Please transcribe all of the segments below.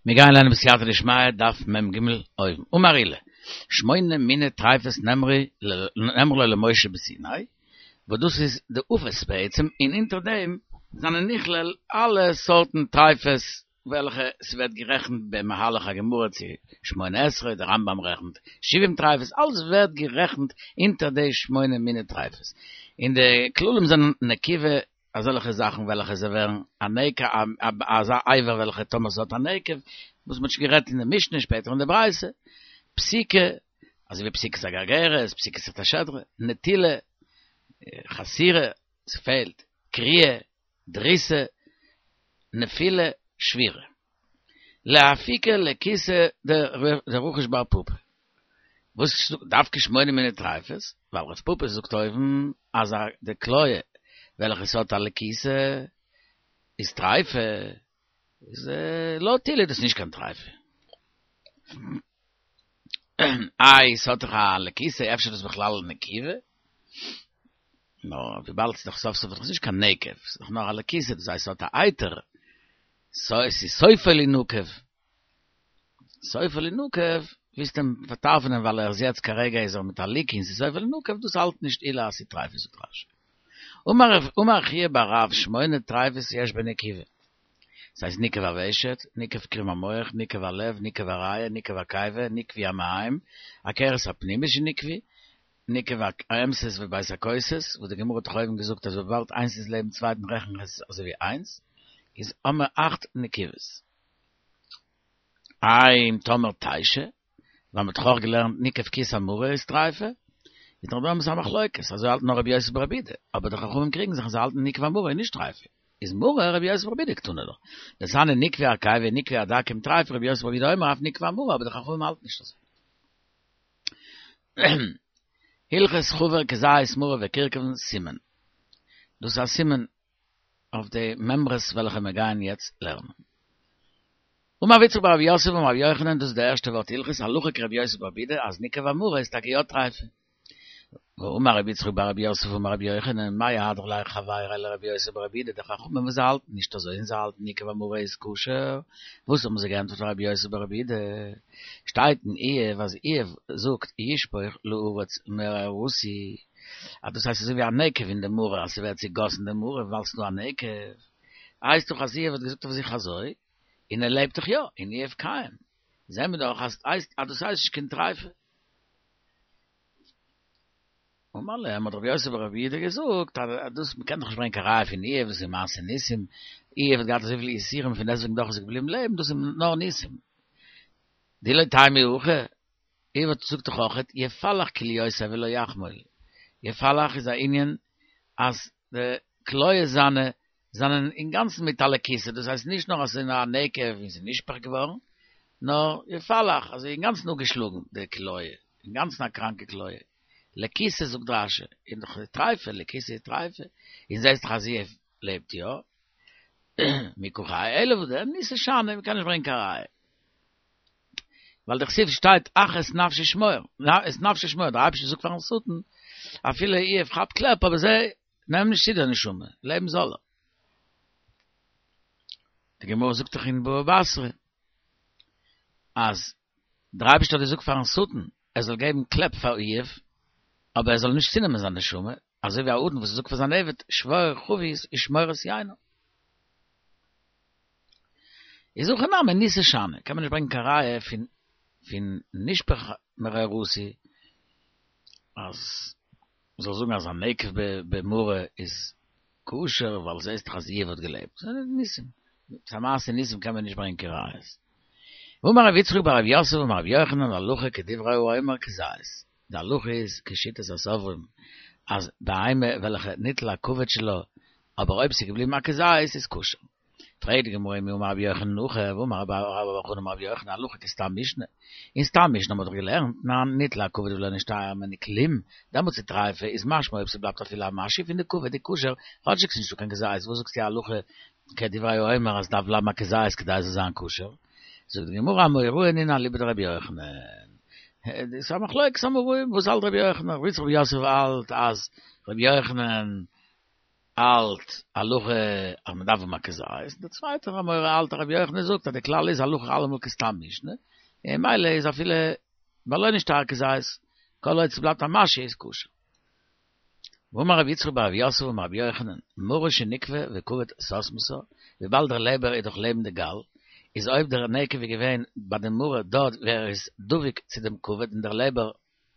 מיר גייען לערנען בסייעתא דשמיא דף מ ג אויבן. אמר עולא, שמונה מיני טריפות נאמרו לו למשה בסיני, וואס דאס איז די עופות בעצם, און אונטער דעם זענען נכלל אלע סארטן טריפות וועלכע ס'ווערט גערעכנט במהלך הגמרא צו שמונה עשרה, דער רמב ם רעכנט שבעים טריפות, אלעס ווערט גערעכנט אונטער די שמונה מיני טריפות. און די כללים זענען נקיבה אזעלכע זאכן וועלכע זיי ווערן א נקב, אזא אבר וועלכע טאמער ס'האט א נקב, וואס מ'האט שוין גערעדט אין די משנה שפעטער אין די ברייתא, פסיקה, אזוי ווי פסיקת הגרגרת, פסיקת חוט השדרה, נטילה, חסירה, ס'פעלט, קריעה, דריסה, נפילה, שבירה. לאפוקי לקיתא דרחיש בר פפא. וואס דווקא שמונה מיני טריפות? ווייל רב פפא זאגט אויבן אז די כליה וועלכע ס'האט א לקיתה איז טריפה, איז לויט עולא איז דאס נישט קיין טריפה. איי ס'האט דאך א לקיתה אפשר איז דאס בכלל נקיבה? נאר וויבאלד ס'איז דאך סוף סוף דאך נישט קיין נקב, ס'איז דאך נאר א לקיתה, דאס הייסט ס'האט א אייטער, סאו עס איז סופו לינקב. סופו לינקב, ווילסט אים פארטרפ'ענען ווייל ער איז יעצט כרגע איז ער מיט א ליקי און ס'איז סופו לינקב, דאס האלט נישט עולא אז ס'איז טריפה זאגט רש י. אמר חייא בר רב שמונה טריפות יש בנקיבה. ס'הייסט ניקב הוושט, ניקב קרום המוח, ניקב הלב, ניקב הריאה, ניקב הקיבה, נקבי המעיים, הכרס הפנימית שנקבי, ניקב האמתת ובית הכוסות, וואס די גמרא האט דאך אויבן געזאגט אז וויבאלד איינס איז לעבן צווייטן רעכן איך עס אזוי ווי איינס, איז האמער אכט נקיבות. איי אם תאמר תשע, ווייל מ'האט דאך אויך געלערנט ניקב כיס המרה איז טריפה, איז דאך דא עפעס א מחלוקת, אזוי האלט נאר רבי יוסי ברבי יהודה, אבער די חכמים קריגן זיך און זיי האלטן ניקב המרה איז נישט טריפה, איז מרה רבי יוסי ברבי יהודה קתני לה, דתניא נקבי הקיבה נקבי הדקים טריפה רבי יוסי ברבי יהודה אומר אף נקב המרה אבער די חכמים האלטן נישט אזוי. הלכות חבר כזית מרור וכרכוון סימן. דאס איז א סימן אויף די מימרות וועלכע מיר גייען יעצט לערנען. אמר רב יצחק בר רב יוסף אמר רבי יוחנן, דאס איז די ערשטע ווארט הלכות הלכה כרבי יוסי ברבי יהודה אז ניקב המרה איז טאקע יא טרייפה. ואמר רבי יצחק בר רב יוסף אמר רבי יוחנן, מאי אהדרו ליה חברייא לרבי יוסי ברבי יהודה, די חכמים וואס זיי האלטן נישט אזוי און זיי האלטן ניקב המרה איז כשר, וואס האבן זיי געענטפערט פאר רבי יוסי ברבי יהודה? שטייט אין איוב אז איוב זאגט ישפוך לארץ מררתי, אז דאס הייסט אזוי ווי א נקב אין די מרה אז ס'ווערט צעגאסן די מרה ווייל ס'דא א נקב, הייסט דאך אז איוב האט געזאגט אויף זיך אזוי, און ער לעבט דאך יא, און איוב קיים, זעהן מיר דאך אז אז דאס הייסט נישט קיין טריפה. אמר להם האט רבי יוסי ברבי יהודה געזאגט אז דאס מ'קען דאך נישט ברענגען קיין ראיה פון איוב דאס איז מעשה ניסים, איוב האט געהאט אזויפיל יסורים פון דעסטוועגן דאך איז ער געבליבן לעבן, דאס איז נאר ניסים. דאי לא תימא הכי, איוב האט זאגט דאך אויכעט יפלח כליותי ולא יחמול, יפלח איז א ענין אז די כליות זיינע זענען אינגאנצן מיט א לקיתה, דאס הייסט נישט נאר אז ס'איז נאר א נקב און ס'איז נשפך געווארן, נאר יפלח, אזוי אינגאנצן אפגעשלאגן די כליה, אינגאנצן א קראנקע כליה. לקיתה זאגט רש"י, איז דאך טריפה, לקיתה איז טריפה, און זעסט דאך אז איוב לעבט יא, מי קא חיי, אלא וואס דען, ניסא שאני, מ'קען נישט ברענגען קיין ראיה. ווייל דכתיב שטייט אך את נפשי שמור, את נפשו שמור, דער אייבערשטער זאגט פארן שטן, אפילו איוב כאפט קלעפ אבער זיי נעם נישט צו די נשמה, לעבן זאל ער. די גמרא זאגט דאך אין בבא בתרא, אז דער אייבערשטער האט געזאגט פארן שטן ער זאל געבן קלעפ פאר איוב, אבער ער זאל נישט צונעמען זיין נשמה, אזוי ווי א אדון וואס זאגט פאר זיין עבד שבור חבית ושמור את יינו. איז הכא נמי ניסא שאני, קען מען נישט ברענגען קיין ראיה פון פון נשפך מררתי אז מ'זאל זאגן אז א נקב במרה איז כשר ווייל זעהסט דאך אז איוב האט געלעבט. ס'איז ניסים. ס'איז א מעשה ניסים קען מען נישט ברענגען קיין ראיות. ואמר רבי יצחק בר רב יוסף אמר רבי יוחנן הלכה כדברי האומר כזית, די הלכה איז כשיטת הסוברים אז בהמה וועלכע ניטל הכבד שלה אבער אויב ס'איז געבליבן א כזית איז כשר. פרעגט די גמרא ומי אמר רבי יוחנן הכי והאמר רבה בר בר חנה אמר רבי יוחנן הלכה כסתם משנה, אין סתם משנה האט מען דאך געלערנט תנן ניטל הכבד ולא נשתייר ממנו כלום, דעמאלטס איז טריפה איז משמע אויב ס'בלייבט אפילו א משהו פון די כבד איז כשר, כאטשיג ס'נישטא קיין כזית, וואס זאגסטו הלכה כדברי האומר אז דארף בלייבן א כזית כדי עס זאל זיין כשר? זאגט די גמרא אמוראי נינהו אליבא דרבי יוחנן. דאס איז א מחלוקת אמוראים וואס האלט רבי יוחנן, רבי יצחק בר יוסף האלט אז רבי יוחנן. האלט הלכה אז מען דארף האבן א כזית, און דער צווייטער אמורא האלט רבי יוחנן זאגט אז די כלל איז הלכה אלעמאל כסתם משנה, און ממילא איז אפילו בלא נשתייר כזית, כל עוד ס'בלייבט א משהו איז כשר. ואמר רבי יצחק בר רב יוסף אמר רבי יוחנן, מרה שניקבה וכבד סתמתה, וויבאלד דער לעבער איז דאך לעבן די גאל, איז אויב דער נקב איז געווען ביי די מרה דארט וואו ער איז דבוק צו דעם כבד און דער לעבער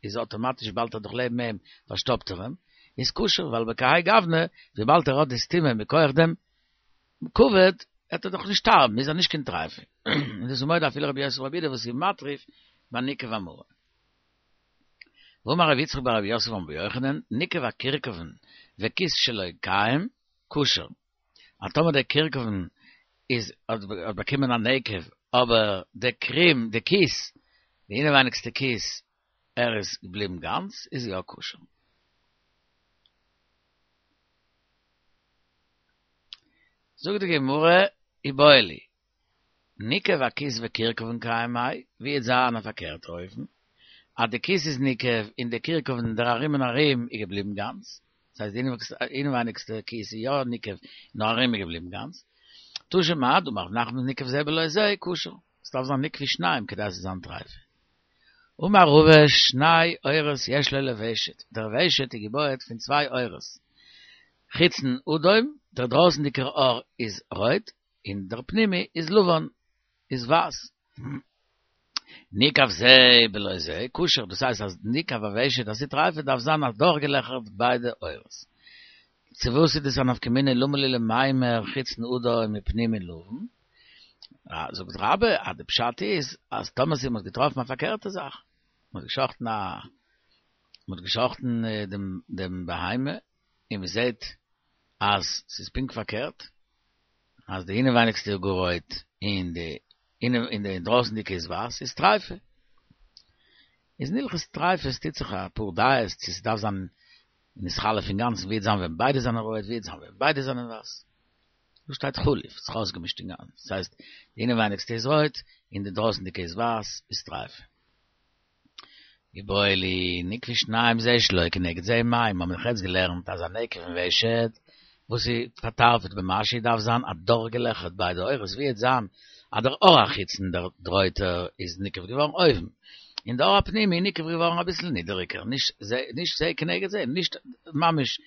איז אטאמאטיש וויבאלד ער איז דאך לעבן אים פארשטאפט ער אים, איז כשר ווייל בכהאי גוונא וויבאלד ער האט די סתימה מכח דעם כבד וועט ער דאך נישט שטארבן איז ער נישט קיין טריפה. און דאס איז מודה אפילו רבי יוסי ברבי יהודה וואס איז מטריף ביי ניקב המרה. ואמר רבי יצחק בר רב יוסף אמר רבי יוחנן, ניקב הכרכוון וכיס שלו קיים, כשר. אז טאמער דער כרכוון איז האט באקומען א נקב, אבער דער קרים, די כיס, די אינעווייניגסטע כיס, ער איז געבליבן גאנץ, איז יא כשר. זאגט די גמרא, איבעיא להו, ניקב הכיס וכרכוון קיים מאי, ווי וועט זיין א פארקערטע אופן, אז די כיס איז ניקב און די כרכוון דער ארום און ארום איז געבליבן גאנץ, דאס הייסט די אינעווייניגסטע כיס איז יא ניקב נאר ארום איז געבליבן גאנץ, תא שמע דאמר רב נחמן ניקב זה בלא זה כשר, עס דארף זיין ניקבו שניים כדי עס זאל זיין טריפה. אמר רבא שני עורות יש לו לוושט, דער ושט איז געבויעט פון צוויי עורות, חיצון אדום, דער דרויסנדיגער עור איז רויט, און דער פנימי איז לבן, איז ווייס. ניקב זה בלא זה, כשר, דאס הייסט אז ניקב הוושט אז ס'איז טריפה דארף זיין אדורכגעלעכערט ביידע עורות. צו וואס איז דאס א נפקא מינה למה לי למימר חיצון אדום ופנימי לבן? זאגט רבה אז די פשט איז אז טאמער ס'איז מ'האט געטראפן א פארקערטע זאך, מ'האט געשחטן א מ'האט געשחטן דעם דעם בהמה און מ'זעט אז ס'איז פונקט פארקערט, אז די אינעווייניגסטע איז גאר רויט און די און די אינדרויסנדיגע איז ווייס איז טריפה. איז אין הלכות טריפות טוט זיך אפאר דעות צו ס'דארף זיין נתחלף אינגאנצן ווי וועט זיין ווען ביידע זענען רויט ווי וועט זיין ווען ביידע זענען ווייס. דא שטייט חליף, ס'איז אויסגעמישט אינגאנצן, דאס הייסט די אינעווייניגסטע איז רויט און די דרויסנדיגע איז ווייס איז טריפה. איבעיא להו נקבו שניים זה שלא כנגד זה מאי, מ'האמיר דאך יעצט געלערנט אז א נקב אין ושט וואס איז פארטארפעט במשהו דארף זיין אדורכגעלעכערט ביידע עורות ווי וועט זיין אז דער עור החיצון דער רויטער איז נקב געווארן אויבן און דער עור הפנימי איז נקב געווארן אביסל נידעריגער נישט זה נישט זה כנגד זה נישט ממש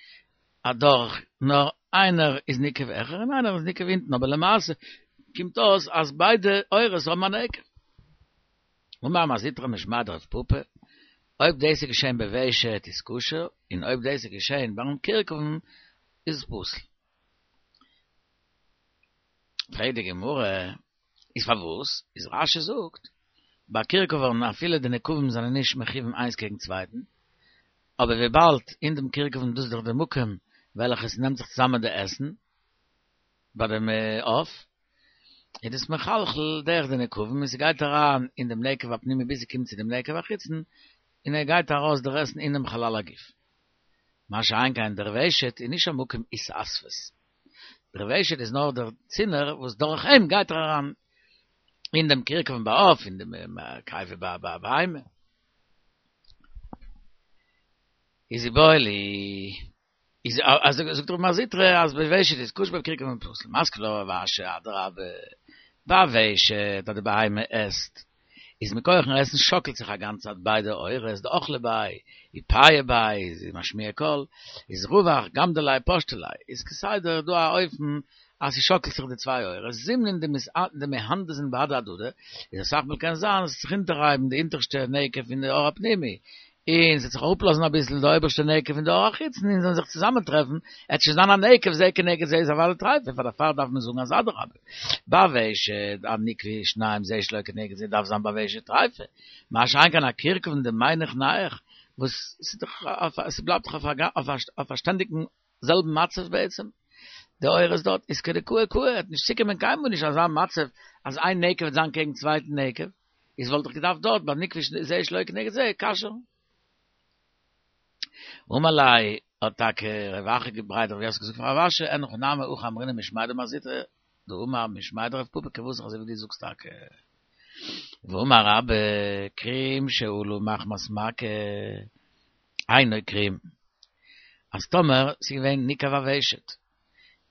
אדורך נאר איינער איז נקב העכער און איינער איז נקב אונטן אבער למעשה קומט אויס אז ביידע עורות האבן א נקב. אמר מר זוטרא משמיה דרב פפא, אויב דאס איז געשען בוושט איז כשר, און אויב דאס איז געשען ביים כרכוון איז פסול. פרעגט די גמרא, איז פארוואס? איז רש"י זאגט, ביי כרכוון אפילו די נקבים זענען נישט מכוון איינס קעגן צווייטן, אבער וויבאלד אין דעם כרכוון דאס איז דאך די מקום וועלכע עס נעמט זיך צוזאמען די עסן ביי דעם עוף, איז דאס מחלחל דורך די נקבים און ס'גייט אריין אין דעם נקב הפנימי ביז ס'קומט צו דעם נקב החיצון און ער גייט ארויס דער עסן אינעם חלל הגוף. מה שאין כן דער ושט איז נישט א מקום התאספות. דער ושט איז נאר דער צינור וואס דורך אים גייט ער אריין אין דעם כרכוון ביי עוף, אין דעם קיבה ביי בהמה. איז איבעיא להו. איז אז זאגט דער מר זוטרא אז בוושט איז כשר בכרכוון פסול מתקיף לה רב אשי אדרבה בוושט אז די בהמה עסט איז מכוח'ן עסן שאקלט זיך א גאנצע צייט ביידע עורות דאכלה ביה ופייעא ביה איז משמיע קול איז רווח גמדא ליה פשטא ליה איז כסדר דא א אופן אז ס'שאקלט זיך די צוויי עורות זימנין דמהנדזין בהדי הדדי איז אסאך מאל קען זיין אז עס וועט זיך אונטערהייבן די אונטערשטע נקב פון די עור הפנימי און ס'וועט זיך אראפלאזן אביסל די אויבערשטע נקב פון די עור החיצון און זיי וועלן זיך צוזאמען טרעפן, עט שוין זיין א נקב זה כנגד זה איז אוודאי טרייפה, פאר דערפאר דארף מען זאגן אז אדרבה, בוושט אז נקבו שניים זה שלא כנגד זה דארף זיין בוושט טרייפה, מה שאין כן א כרכוון דמינח נייח וואס ס'בלייבט דאך אויף א שטענדיגן זעלבן מצב בעצם, די עורות דארט איז כדקאי קאי, עט נישט צוקומען קיינמאל נישט אזא מצב אז איין נקב וועט זיין קעגן צווייטן נקב. איז וואלט איך געדארפט דארט ביי נקבו זה שלא כנגד זה כשר'ן. אמר ליה האט טאקע רב אחא בריה דרב יוסף געזאגט פאר רב אשי אין הכי נמי הכי אמרינן משמיה דמר זוטרא דאמר משמיה דרב פפא כוותך אזוי ווי דו זאגסט טאקע. ואמר רבה כרים שעלה מחמת מכה אינו כרים אז טאמער ס'איז געווען ניקב הוושט.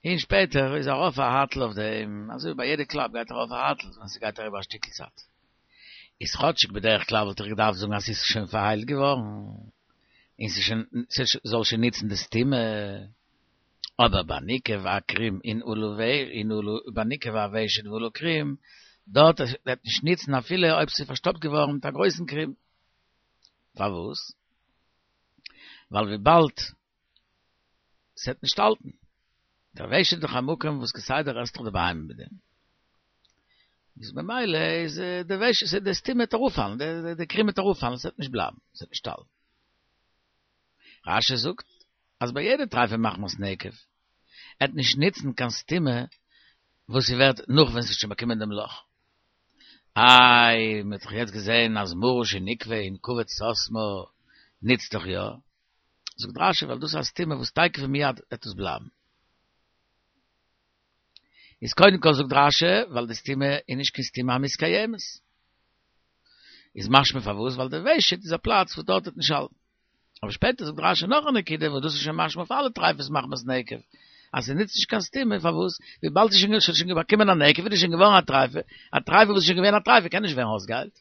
און שפעטער איז ארויף א הייטל אויף דעם, אזוי ווי ביי יעדע קלאפ גייט ארויף א הייטל ווען ס'גייט אריבער א שטיקל צייט. איז כאטשיג בדרך כלל וואלט איך געדארפט זאגן אז ס'איז שוין פארהיילט געווארן, און ס'איז שוין, ס'זאל שוין ניצן די סתימה, אבער ביי ניקב הכרים און עלה און עלה ביי ניקב הוושט ועלה קרים, דארט וועט נישט ניצן אפילו אויב ס'איז פארשטאפט געווארן מיט א גרויסן קרים. פארוואס? ווייל וויבאלד ס'וועט נישט האלטן. דער ושט איז דאך א מקום וואס כסדר עסט דאך די בהמה מיט דעם. איז ממילא איז די ושט, די סתימה וועט אראפפאלן, די קרים וועט אראפפאלן, ס'וועט נישט בלייבן, ס'וועט נישט האלטן. רש"י זאגט אז ביי יעדע טריפה מחמת נקב, עט נישט ניצן קיין סתימה וואס ס'ווערט נאך ווען ס'האט שוין באקומען דעם לאך. איי, מ'האט דאך יעצט געזען אז מרה שניקבה און כבד סתמה ניצט דאך יא. זאגט רש"י ווייל דאס איז א סתימה וואס תיכף ומיד וועט עס בלייבן. איז קודם כל זאגט רש"י ווייל די סתימה איז נישט קיין סתימה המתקיימת. איז משמע פארוואס ווייל די ושט איז א פלאץ וואס דארט וועט נישט האלטן. אבער שפעטער זאגט רש"י נאך א נקודה וואס דאס איז שוין משמע אויף אלע טריפות מחמת נקב אז ס'נוצט נישט קיין סתימה פארוואס וויבאלד ס'איז שוין שוין באקומען א נקב איז שוין געווארן א טריפה, א טריפה וואס איז שוין געווען א טריפה קען נישט ווערן אויסגעהיילט.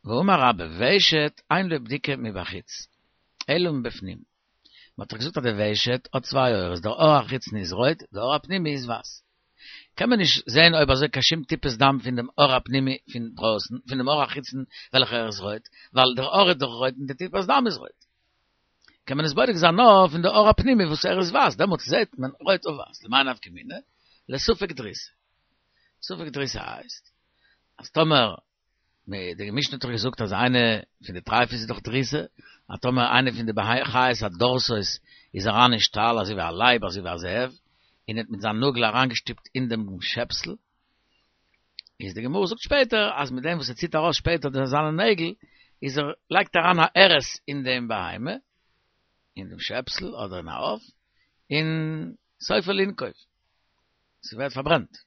ואמר רבה ושט אין לו בדיקה מבחוץ אלא מבפנים, מען האט דאך געזאגט אז די ושט האט צוויי עורות, דער עור החיצוני איז רויט, דער עור הפנימי איז ווייס. קען מען נישט זען אויב אזוי קיין שום טיפת דם פון דעם עור הפנימי פון דרויסן, פון דעם עור החיצון וועלכער איז רויט, ווייל דער עור איז דאך רויט און די טיפת דם איז רויט. קען מען עס בודק זיין נאר פון די עור הפנימי וואס ער איז ווייס, דעמאלטס זעט מען רויט אויף ווייס, למאי נפקא מינה? לספק דריסה. ספק דריסה הייסט אז טאמער די משנה האט דאך געזאגט אז איינע פון די טרייפות איז דאך דריסה, אז טאמער איינע פון די חיות הדורסות איז אריין אין שטאל אזוי ווי א לייב אזוי ווי א זאב, און האט מיט זיין נאגל אריינגעשטופט אין דעם שעפסל, איז די גמרא זאגט שפעטער אז מיט דעם וואס ער ציט ארויס שפעטער די זיינע נעגל, איז ער לייגט אריין א ארס אין דעם בהמה, אין דעם שעפסל אדער אין א עוף, און סופו לינקוב, ס'ווערט פארברענט.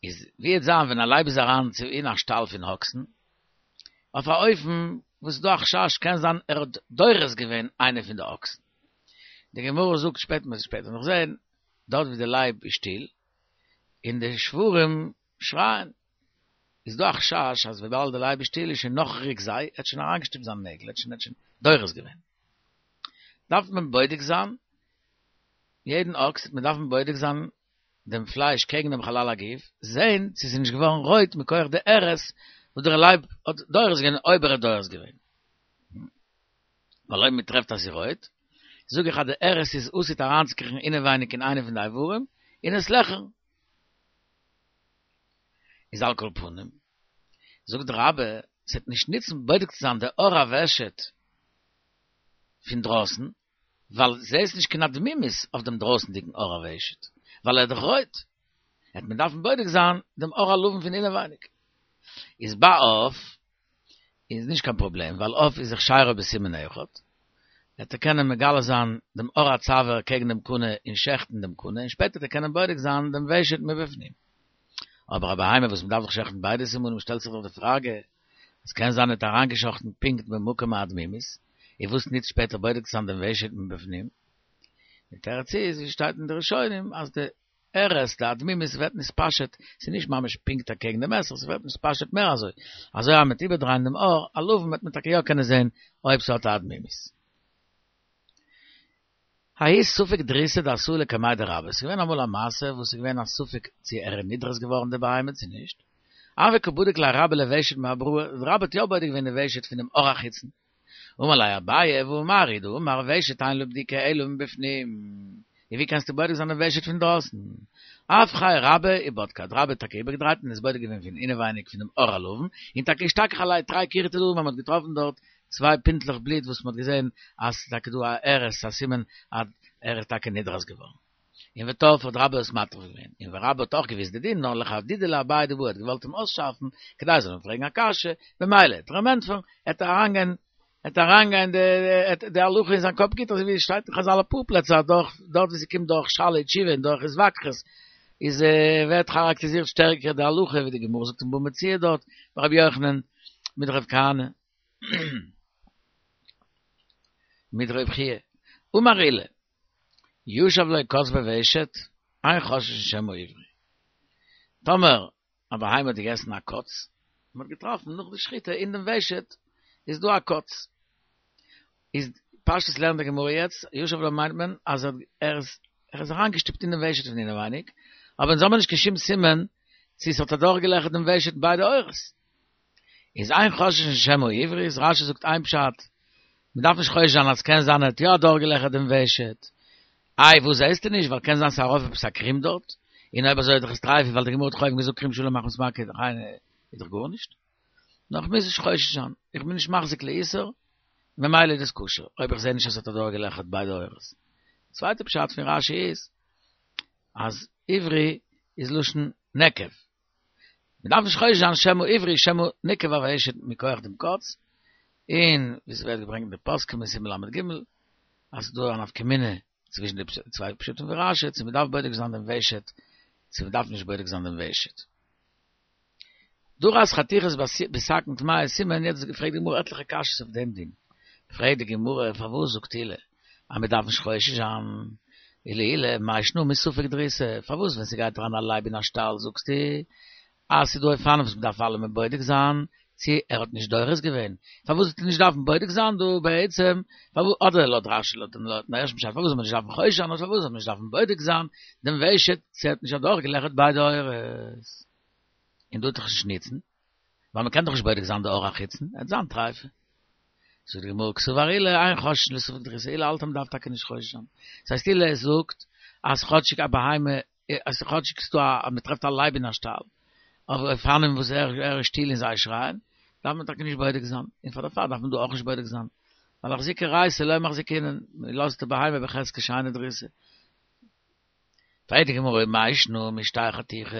איז ווי וועט זיין ווען א לייב איז אריין צו אין א שטאל פון אקסן, אויף א אופן וואס איז דא א חשש קען זיין ער האט דורס געווען איינע פון די אקסן. די גמרא זאגט שפעטער מ'וועט שפעטער נאך זען, דארט ווי די לייב איז שטיל, און די שוורים שרייען, איז דא א חשש אז וויבאלד די לייב איז שטיל איז שוין נאך ריק זיי, ער האט שוין אריינגעשטופט זיין נעגל, ער האט שוין ער האט שוין דורס געווען. דארף מען בודק זיין יעדן אקס, וועט מען דארפן בודק זיין דעם פלייש קעגן דעם חלל הגוף, זען צו ס'איז נישט געווארן רויט מכח די ארס וואס דער לייב האט דורס געווען אויב ער האט דורס געווען. ווייל אויב מ'טרעפט אז ס'איז רויט, זאג איך אז די ארס איז עתיד אריינצוקריכן אינעווייניג אין איינע פון די איברים און עס לעכערן. איז על כל פנים, זאגט רבה, ס'וועט נישט נוצן בודק צו זיין די עור הוושט פון דרויסן, ווייל זעהסט נישט קיין אדמימית אויף דעם דרויסנדיגן עור הוושט, ווייל ער איז דאך רויט, העט מען דארפן בודק זיין דעם עור הלבן פון אינעווייניג. איז ביי עוף איז נישט קיין פראבלעם, ווייל עוף איז הכשרו בסימן אחד, וועט ער קענען מגלה זיין דעם עור הצוואר קעגן דעם קנה און שעכטן דעם קנה, און שפעטער וועט ער קענען בודק זיין דעם ושט מבפנים. אבער א בהמה וואס מ'דארף דאך שעכטן ביידע סימנים שטעלט זיך דאך די פראגע, עס קען זיין ער האט אריינגעשאכטן פונקט במקום האדמימית, און וואס נוצט שפעטער בודק צו זיין דעם ושט מבפנים? די תירוץ איז, ווי שטייט אין די ראשונים, אז די ארס, די אדמימית ווערט נתפשט, ס'איז נישט ממש פונקט אקעגן דעם מסך, ס'ווערט נתפשט מער אזוי, אזוי אז מ'וועט איבערדרייען דעם עור הלבן וועט מען טאקע יא קענען זען אויב ס'האט א אדמימית. ההוא ספק דריסה דאתאי לקמיה דרבה, ס'איז געווען אמאל א מעשה וואס איז געווען א ספק צו ער איז נדרס געווארן די בהמה צו נישט, הוה קא בדיק ליה רבה לוושט מאבראי, רבה האט יא בודק געווען די ושט פונעם עור החיצון. אמר ליה אביי והא מר הוא דאמר ושט אין לו בדיקה אלא מבפנים, און ווי קענסטו בודק זיין די ושט פון דרויסן? אפכיה רבה ובדקה, האט רבה טאקע איבערגעדרייט און עס בודק געווען פון אינעווייניג פונעם עור הלבן, און טאקע אשתכח עליה תרי כרעי תדאי, מען האט געטראפן דארט צוויי פינטלעך בלוט וואס מען האט געזען אז ס'איז טאקע דא א ארס, א סימן אז ער איז טאקע נדרס געווארן. און וטרפה האט רבה עס מטריף געווען, און ורבה האט אויך געוואוסט די דין, נאר לחדודי לאביי דבעי האט געוואלט אים אויסשארפן כדי ער זאל אים פרעגן א קשיא, במילא וועט ער אים ענטפערן, עט אריינגיין עט אריינגיין די די הלכה אין זיין קאפ גוט אזוי ווי עס שטייט אין חזל אפאר פלעצער אז דורך דארט ווי ס'קומט דורך שאלה ותשובה און דורך התווכחות איז ווערט כאראקטעריזירט שטערקער די הלכה ווי די גמרא זאגט אין בבא מציעא דארט ביי רבי יוחנן מיט רב כהנא. מיט רב חייא. אמר עולא, ישב לו קוץ בוושט, אין חוששין שמא עברי. טאמער א בהמה האט געגעסן א קוץ, מען האט געטראפן נאך די שחיטה אין דעם ושט איז דא א קוץ. איז פשטות לערנט די גמרא יעצט, ישב לו מיינט מען אז ער איז ער איז אריינגעשטופט אין דעם ושט פון אינעווייניג, אבער אונז האבן נישט קיין שום סימן צו ס'האט אדורכגעלעכערט דעם ושט ביידע עורות. איז אין חוששין שמא עברי, איז רש"י זאגט איין פשט, מ'דארף נישט חושש זיין אז ס'קען זיין ער האט יא אדורכגעלעכערט דעם ושט. איי וואס זעסטו נישט, ווייל קען זיין ס'איז ארויף עפעס א קרים דארט, און אויב אזוי איז דאך עס טרייף, ווייל די גמרא האט דאך אויבן געזאגט כרים שלם מחמת מכה איז דאך גארנישט. נאר כ'מוז נישט חושש זיין, איך בין נישט מחזיק לאיסור, ממילא איז דאס כשר, אויב איך זע נישט אז ס'האט אדורכגעלעכערט ביידע עורות. צווייטע פשט פון רש"י איז, אז עברי איז לשון נקב. מ'דארף נישט חושש זיין שמא עברי שמא ניקב הוושט מכח דעם קוץ, און ווי ס'ווערט געברענגט אין די פוסקים אין סימן ל"ג, אז ס'איז דא א נפקא מינה צווישן די צוויי פשטים פון רש"י, צו מ'דארף בודק זיין דעם ושט, צו מ'דארף נישט בודק זיין דעם ושט. דרס חתיכות בסכין טמאה סימן, יעצט פרעגט די גמרא עטליכע קשיות אויף דעם דין. פרעגט די גמרא פארוואס זאגט עולא אז מען דארף נישט חושש זיין, ולעולא מאי שנא מספק דריסה, פארוואס ווען ס'גייט אריין א לייב אין א שטאל זאגסטו אז ס'איז דא אופנים וואס מען דארף אלעמען בודק זיין צו ער האט נישט דורס געווען, פארוואס זאלסטו נישט דארפן בודק זיין דא בעצם, אדער לויט רש"י לויטן ערשטן פשט פארוואס זאל מען נישט דארפן חושש זיין אדער פארוואס זאל מען נישט דארפן בודק זיין דעם ושט צו ער האט נישט אדורכגעלעכערט ביידע עורות. און דא וועט דאך נישט ניצן, ווייל מ'קען דאך נישט בודק זיין די עור החיצון, עט זיין טרייפה. זאגט די גמרא קסבר עולא אין חוששין לספק דריסה, עולא האלט אז מ'דארף טאקע נישט חושש זיין. ס'הייסט עולא זאגט אז כאטשיג א בהמה, אז כאטשיג ס'דא א, אז מ'טרעפט א לייב אין א שטאל, אויף אופנים וואס ער ער איז שטיל און זיי שרייען, דארף מען טאקע נישט בודק זיין, און פאר דערפאר דארף מען דא אויך נישט בודק זיין. ווייל אחזוקי ריעותא לא מחזקינן, מ'לאזט די בהמה בחזקת שאינה דרוסה. פרעגט די גמרא מאי שנא משתי חתיכות,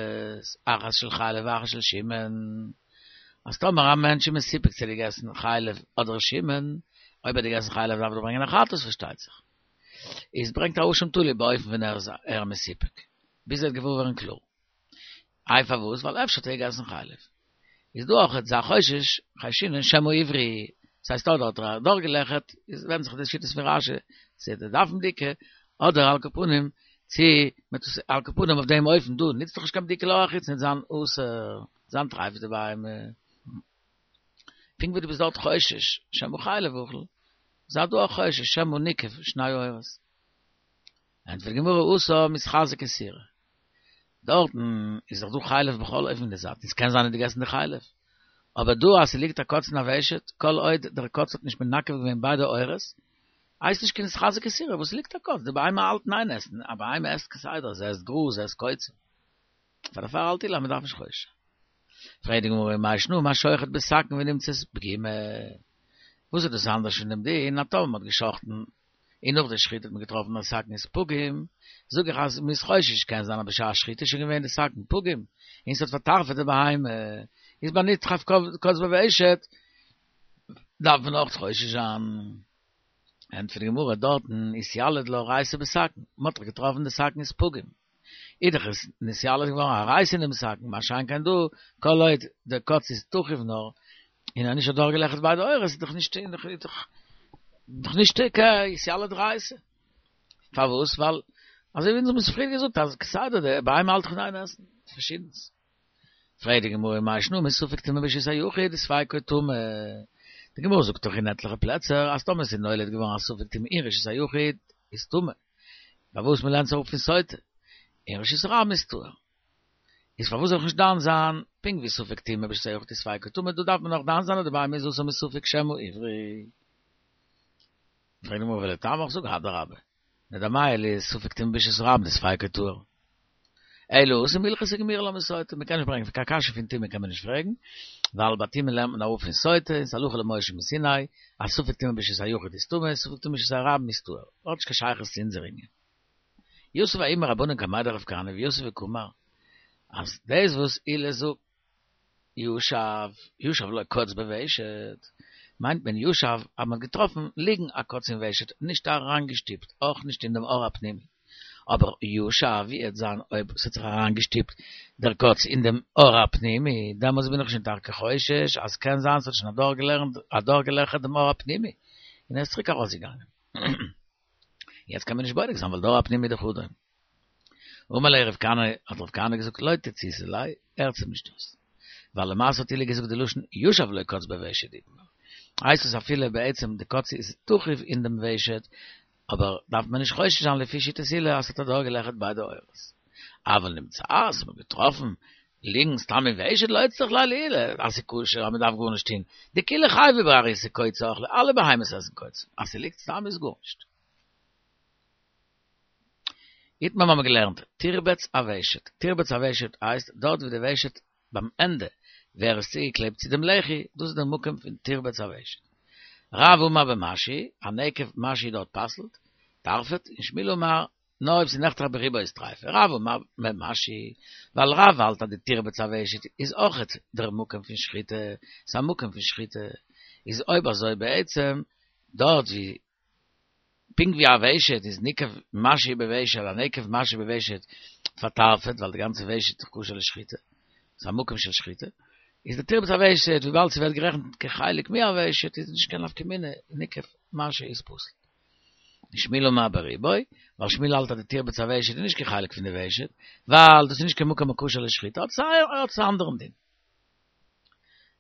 אחת של חלב ואחת של שומן, אז טאמער א מענטש איז מסופק צו ער האט געגעסן חלב אדער שומן, אויב ער האט געגעסן חלב דארף ער ברענגען א חטאת פארשטייט זיך, איז ברענגט א אשם תלוי באופן ווען ער איז ער מסופק, ביז ער וועט געוואר ווערן קלאר. איי פארוואס? ווייל אפשר האט ער געגעסן חלב. איז דא אויך אזא חשש, חיישינן שמא עברי, ס'הייסט אדער האט ער אדורכגעלעכערט, איז ווענדט זיך די שיטות פון רש"י, צו ער דארף בדיקה, אדער על כל פנים, צו מ'טוט עס על כל פנים אויף דעם אופן דא נוצט דאך נישט קיין בדיקה לעור החיצון וועט זיין אסור, זיין טרייף די בהמה. פונקט ווי דו ביסט דארט חושש שמא חלב אכל, זיי דא אויך חושש שמא ניקב שני עורות. ענטפערט די גמרא התם מיתחזי איסורא. דארטן איז דאך דא חלב בכל אופן אין די זייט, און ס'קען זיין ער האט געגעסן די חלב. אבער דא אז ס'ליגט א קוץ אין א ושט, כל עוד דער קוץ האט נישט מנקב געווען ביידע עורות, הייסט נישט קיין נתחזק איסורא וואס ס'ליגט א קוץ, די בהמה האלט אין איין עסן, א בהמה עסט כסדר, זי עסט גראז, זי עסט קוצים. פאר דערפאר האלט עולא אז מ'דארף נישט חושש זיין. פרעגט די גמרא מאי שנא מהשוחט בסכין ונמצאת פגימה, וואס איז דאס אנדערש פון דעם דין אז טאמער מ'האט גע'שחט'ן און נאך די שחיטה האט מען געטראפן אז סכין איז פגום, זאג איך אז מ'איז חושש, קען זיין אז בשעת שחיטה איז שוין געווען די סכין פגום, און ס'האט פארטרפ'עט די בהמה, איז ביי נדחף קוץ בוושט, דארף מען אויך חושש זיין. ענטפערט די גמרא, דארטן אתיליד לה ריעותא בסכין, מ'האט דאך געטראפן די סכין איז פגום, איז דאך עס נתיליד געווארן א ריעותא אין דעם סכין, מה שאין כן דא, כל עוד דער קוץ איז תחוב נאר, און ער האט נישט אדורכגעלעכערט ביידע עורות, איז דאך נישט איז דאך נישט קיין אתיליד ריעותא. פארוואס? ווייל אזוי ווי אונז האבן עס פריער געזאגט אז כסדר די בהמה האלט דאך אין איין עסן פארשידענס. פרעגט די גמרא מאי שנא מספק טומאה ברשות היחיד וספיקו טמא. די גמרא זאגט דאך אין עטליכע פלעצער אז טאמער עס איז נולד געווארן א ספק טומאה אין רשות היחיד איז טמא. פארוואס מ'לערנט עס אראפ פון סוטה אין רשות הרבים איז טהור. איז פארוואס זאל איך נישט דן זיין פונקט ווי ספק טומאה ברשות היחיד איז ספיקו טמא דא דארף מען נאך דן זיין אז די בהמה איז אסור מספק שמא עברי. פרעגט די גמרא ולטעמיך זאג אדרבה נדמיה לספק טומאה ברשות הרבים דספיקו טהור. אלא התם הלכתא גמירי לה מסוטה, מ'קען נישט ברענגען קיין קשיא פון טומאה קען מען נישט פרעגן, ווייל ביי טומאה לערנט מען אראפ פון סוטה, און ס'איז הלכה למשה מסיני, אז ספק טומאה ברשות היחיד איז טמא, ספק טומאה ברשות הרבים איז טהור. האט נישט קיין שייכות צו אונזער ענין. יתיב ההוא מרבנן קמיה דרב כהנא ויתיב וקאמר, אז דאס וואס עולא זאגט ישב, ישב לו קוץ בוושט, מיינט מען ישב אז מ'האט געטראפן ליגן א קוץ אין ושט, נישט אריינגעשטופט, אויך נישט אין דעם עור הפנימי. אבער ישב ווי עט זיין אויב ס'האט זיך אריינגעשטופט דער קוץ אין דעם עור הפנימי, דעמאלטס בין איך שוין טאקע חושש אז קען זיין ס'האט שוין אדורכגעלעכערט דעם עור הפנימי און ער איז צוריק ארויסגעגאנגען. יעצט קען מען נישט בודק זיין ווייל די עור הפנימי איז דאך אדום. אמר ליה רב כהנא, האט רב כהנא געזאגט לא תציתו ליה, הערטס אים נישט אויס. ווייל למעשה האט עולא געזאגט די לשון ישב לו קוץ בוושט איתמר. הייסט עס אפילו בעצם די קוץ איז תכוף אין דעם ושט, אבער דארף מען נישט חושש זיין לפי שיטת עולא אז ס'האט אדורכגעלעכערט ביידע עורות. אבל נמצאת, מ'האט געטראפן ליגן סתם אין ושט לא אצטריך ליה לעולא, אז ס'איז כשר אז מ'דארף גארנישט טון, דכולהו חייבי באריסי קוצי אכלי, אלע בהמות עסן קוצים, אז ס'ליגט סתם איז גארנישט. איתמר האבן מיר געלערנט, תרבץ הוושט, תרבץ הוושט הייסט דארט ווי די ושט ביים ענדע ווער עס צוגעקלעבט צו דעם לחי, דאס איז דער מקום פון תרבץ הוושט. רב אמר במשהו, א נקב משהו דארט פסל'ט, טרפה'ט, און שמואל אמר, נאר אויב ס'איז נחתך ברובו איז טריפה. רב אמר במשהו, ווייל רב האלט אז די תרבץ הוושט איז אויכעט דער מקום פון שחיטה, ס'איז א מקום פון שחיטה, איז אויב אזוי בעצם דארט ווי פונקט ווי א ושט איז ניקב משהו בוושט, א נקב משהו בוושט פארטרפה'ט ווייל די גאנצע ושט איז כשר לשחיטה, ס'איז א מקום של שחיטה, איז די תרבץ הוושט וויבאלד ס'ווערט גערעכנט כחלק מהוושט איז נישט קיין נפקא מינה, נקב משהו איז פסול. ושמואל אמר ברובו, ווייל שמואל האלט אז די תרבץ הוושט איז נישט קיין חלק פון די ושט, ווייל דאס איז נישט קיין מקום הכשר לשחיטה, האט עס א אנדערן דין.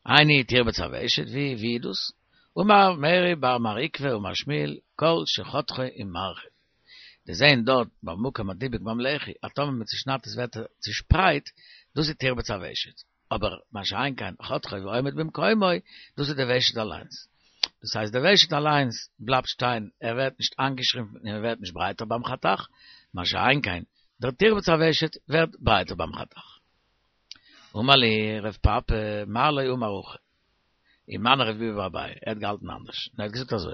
איני תרבץ הוושט, ווי ווי איז דאס? אמר מרי בר מר עוקבא אמר שמואל, כל שחותכו ומרחיב. די זעהן דארט במקום הדיבוק ביים לחי, אז טאמער מען צושניידט עס ווערט ער צושפרייט, דאס איז תרבץ הוושט. אבער מה שאין כן חותכו ועומד במקומו, דאס איז די ושט אליינס. דאס הייסט די ושט אליינס בלייבט שטיין, ער ווערט נישט איינגעשרימפן און ער ווערט נישט ברייטער ביים חתך, מה שאין כן דער תרבץ הוושט ווערט ברייטער ביים חתך. אמר להו רב פפא, מר לא אמר הכי. ומני רב ביבי בר אביי, ער האט געהאלטן אנדערש, און ער האט געזאגט אזוי,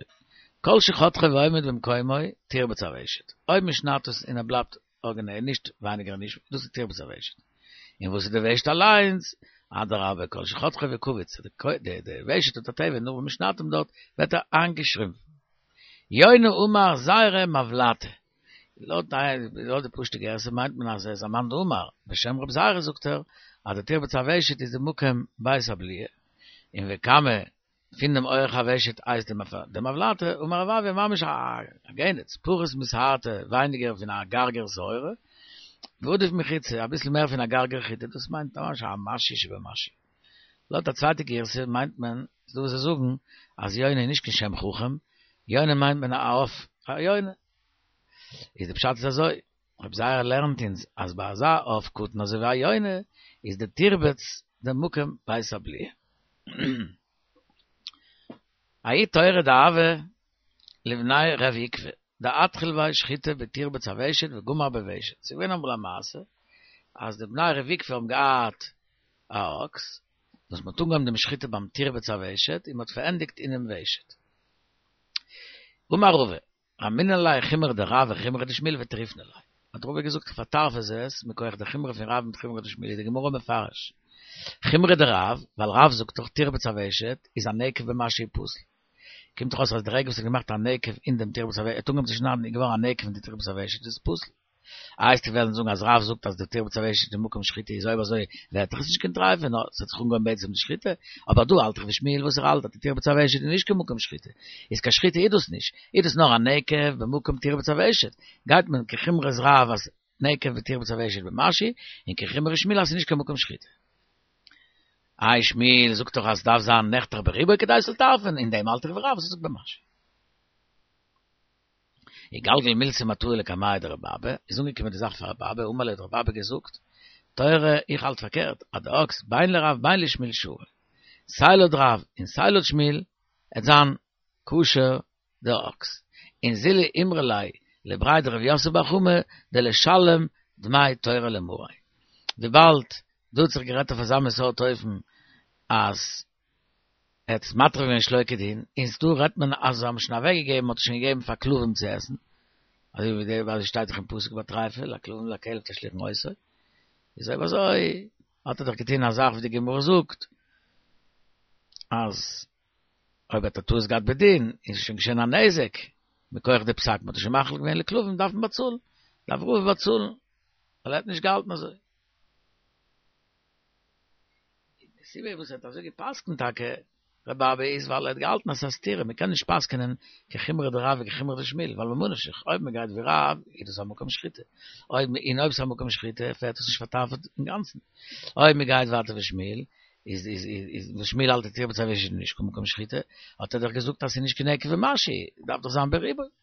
כל שחותכו ועומד במקומו, תרבץ הוושט. אויב מען שניידט עס און ער בלייבט ארגינעל, נישט ווייניגער און נישט, דאס איז תרבץ הוושט. און וואס איז די ושט אליינס? אדרבה, כל שחותכו וקווץ, די ושט האט א טבע, נאר ווען מען שניידט אים דארט, ווערט ער איינגעשרימפן. יונה אמר זיירא מבלטא. לויט די פשוט'ע גירסא מיינט מען אז ער איז א מאן דאמר, בשם רב זיירא זאגט ער אז די תרבץ הוושט איז די מקום בית הבליעה, און וקמא פון דעם אורך הוושט הייסט די מבלטא, אמר רב אויא ממש א גענעץ, פחות משערתא ווייניגער פון א גרגר שעורה, ועדיף מחיצה אביסל מער פון א גרגר חיטה, דאס מיינט ממש א משהו שבמשהו. לויט א צווייטע גירסא מיינט מען, ס'דא וואס זאגן אז יונה איז נישט קיין שם חכם, יונה מיינט מען א עוף, א יונה. איז די פשט איז אזוי, רב זיירא לערנט אונז אז ביי אזא עוף קטן אזוי ווי א יונה איז די תרבץ די מקום בית הבליעה. ההוא תורא דהוה לבני ר' עוקבא דאתחיל ביה שחיטה בתרבץ הוושט וגמר בוושט, ס'איז געווען אמאל א מעשה אז די בני ר' עוקבא האבן געהאט א אקס וואס מ'האט אנגעהויבן דעם שחיטה ביים תרבץ הוושט און מ'האט פארענדיגט אינעם ושט. אמר רבא, רמינא ליה חומרא דרב וחומרא דשמואל וטריפנא ליה. האט רבא געזאגט פארטרפע זיי עס מכח די חומרא פון רב מיט חומרא דשמואל איז די גמרא מפרש חומרא דרב ווייל רב זאגט דאך תרבץ הוושט איז א נקב במשהו פסול קומט דאך אויס אז די רגע וואס ער האט געמאכט א נקב אין דעם תרבץ הוושט ער האט אנגעהויבן צו שניידן איז געווארן א נקב אין די תרבץ הוושט איז עס פסול. איי וועסטו וועלן זאגן אז רב זאגט אז די תרבץ הוושט איז מקום שחיטה איז אויב אזוי ווערט דאך עס נישט קיין טריפה נאר עס האט זיך אנגעהויבן בעצם די שחיטה, אבער דא האלט איך ווי שמואל וואס ער האלט אז די תרבץ הוושט איז נישט קיין מקום שחיטה, איז קיין שחיטה איז דאס נישט, איז דאס נאר א נקב במקום תרבץ הוושט, גייט מען כחומרת רב אז נקב בתרבץ הוושט במשהו, און כחומרת שמואל אז ס'איז נישט קיין מקום שחיטה. איי שמואל זאגט דאך אז ס'דארף זיין נחתך ברובו כדי ס'זאל טרפ'ן, אין דעם האלט איך ווי רב וואס ער זאגט במשהו. איגלגל מילתא מתאי לקמיה דרבי אבא, איז אנגעקומען די זאך פאר רבי אבא, אמר ליה האט רבי אבא געזאגט, תורא, איך האלט פארקערט, אז די אקס בין לרב בין לשמואל שרי, סיי לויט רב און סיי לויט שמואל, עט זיין כשר די אקס, און זילו אמרו ליה לבריה דרב יוסף בר חמא דלישלם דמי תורא למריה, וויבאלד דא האט זיך גערעדט אויף אזא מין סארט אופן אז ער האט עס מטריף געווען שלא כדין, און דא רעדט מען אז זיי האבן שוין אוועק געגעבן, מ'האט עס שוין געגעבן פאר כלבים צו עסן, אזוי ווי די ווייל עס שטייט דאך אין פסוק ביי טריפה, לכלבים לכלב תשליכון אותו, איז אויב אזוי האט ער דאך געטון א זאך ווי די גמרא זאגט אז אויב האט ער טעות געהאט בדין, איז עס שוין געשען א נזק, מכח די פסק, מ'האט עס שוין מאכיל געווען לכלבים דארף מען באצאלן, דארף רבא באצאלן, ווייל ער האט נישט געהאלטן אזוי. די סיבה וואס ער האט אזוי גע'פסק'נט טאקע, רבי אבא איז ווייל ער האט געהאלטן אז ס'איז א סתירה, מ'קען נישט פסק'נען כחומרא דרב וכחומרא דשמואל, ווייל ממה נפשך, אויב מ'גייט ווי רב איז דאס א מקום שחיטה, אויב און אויב ס'איז א מקום שחיטה פעלט עס נישט פארטרפה'ט אינגאנצן, אויב מ'גייט ווייטער ווי שמואל איז איז איז וואס שמואל האלט התירה בצו איש איז נישט קיין מקום שחיטה, האט ער דאך געזאגט אז ס'איז נישט קיין נקב ומשהו, דארף דאך זיין ברובו.